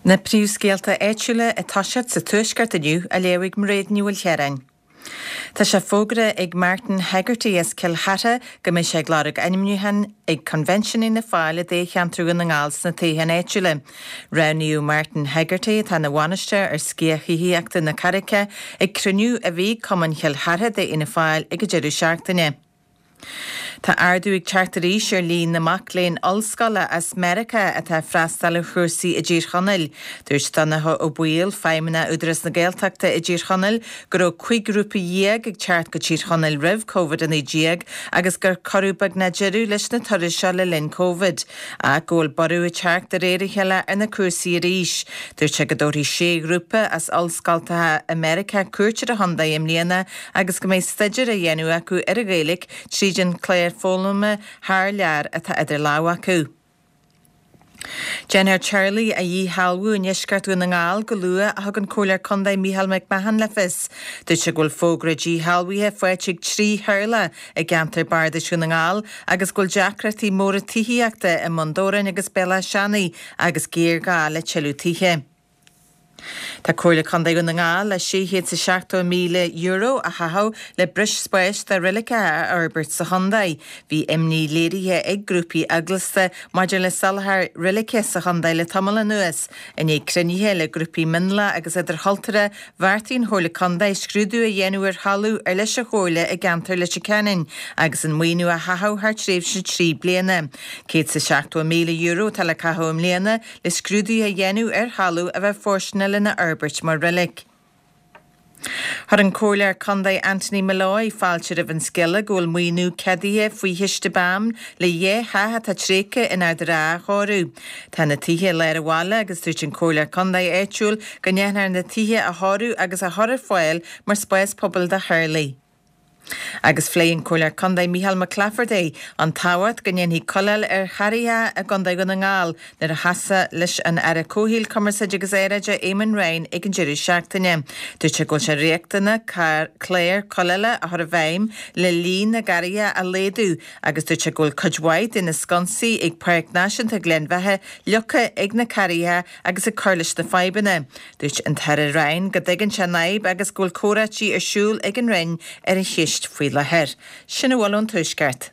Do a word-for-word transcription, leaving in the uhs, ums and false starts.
Na príomhscéalta áitiúla ag toiseacht sa Tuaisceart inniu á léamh ag Mairéad Ní Mhaoilchiaráin. Tá sé fógartha ag Martin Hegarty as Cill Chartha go mbeidh sé ag lorg ainmniúcháin ag Convention Fhianna Fáil i dtoghcheantar Dhún na nGall sna toghcháin áitiúla. Roghnaíodh Martin Hegarty, atá ina bhainisteoir ar sciath thithíochta na Carraice, ag cruinniú a bhí ag Cumann Chill Chartha d'Fhianna Fáil ag an deireadh seachtaine. Tá ardú ag teacht arís ar líon na mac léinn ollscoile as Meiriceá atá ag freastal ar chúrsaí i dTír Chonaill. Dúirt Donncha Ó Baoill, Feidhmeannach Údarás na Gaeltachta i dTír Chonaill, go raibh cúig ghrúpa dhéag ag teacht go Tír Chonaill roimh Covid a naoi déag agus gur cuireadh beagnach deireadh leis na turais seo le linn Covid, ach go bhfuil borradh ag teacht de réir a chéile ar na cúrsaí arís. Dúirt sé go dtabharfaidh sé ghrúpa as ollscoltacha i Meiriceá cuairt ar an chontae i mbliana agus go mbeidh staidéar á dhéanamh acu ar an Ghaeilge tríd an clár foghlama thar lear atá idir lámha acu. Déanfar teaghlaigh a dhíshealbhú i ndeisceart Dhún na nGall go luath, a thug an Comhairleoir Contae Micheál McMahon le fios. Dúirt sé go bhfuil fógra díshealbhaithe faighte ag trí theaghlach i gceantar Bardais Dhún na nGall agus go bhfuil deacrachtaí móra tithíochta i mBun Dobhráin agus Béal Átha Seanaidh agus géarghá le tuilleadh tithe. Tá Comhairle Contae Dhún na nGall le sé chéad is seachtó míle euro a chaitheamh le breis spáis do reiligeacha a fhorbairt sa chontae. Bhí imní léirithe ag grúpaí eaglasta maidir le soláthar reilige sa chontae le tamall anuas. I ndiaidh cruinnithe le grúpaí mionlaigh agus idirchultúrtha, bheartaigh an Chomhairle Contae scrúdú a dhéanamh ar thalamh ar leis an Chomhairle i gceantar Leitir Ceanainn agus an maoiniú a chaitheamh thar tréimhse trí bliana. Céad is seachtó míle euro atá le caitheamh i mbliana le scrúduithe a dhéanamh ar thalamh a bheith fóirsteanach lena fhorbairt mar reilig. Chuir an Comhairleoir Contae Anthony Molloy fáilte roimh an scéala go bhfuil maoiniú ceadaithe faoi chiste BAM le dhá theach atá tréigthe in Ard an Rátha a chóiriú. Tá na tithe i lár an bhaile agus dúirt an Comhairleoir Contae áitiúil go ndéanfar na tithe a chóiriú agus a chur ar fáil mar spás pobail do theaghlaigh. Agus phléigh an Comhairleoir Contae Micheál Mac Laifeartaigh an tábhacht go ndéanfaí coiléal ar charraigeacha i gContae Dhún na nGall nuair a chas sé leis an Aire Comhshaoil, Cumarsáide agus Aeráide Eamon Ryan ag an deireadh seachtaine. Dúirt sé go bhfuil sé riachtanach clár coiléala a chur i bhfeidhm le líon na gcarraigeacha a laghdú agus dúirt sé go bhfuil cuid mhaith de na sconsaí ag Páirc Náisiúnta Ghleann Bheatha fliuchta ag na carraigeacha agus ag cur leis na fadhbanna. Dúirt an tAire Ryan go dtuigeann sé an fhadhb agus go bhfuil comhráití ar siúl ag an Roinn ar an cheist faoi láthair. Sin a bhfuil ón Tuaisceart.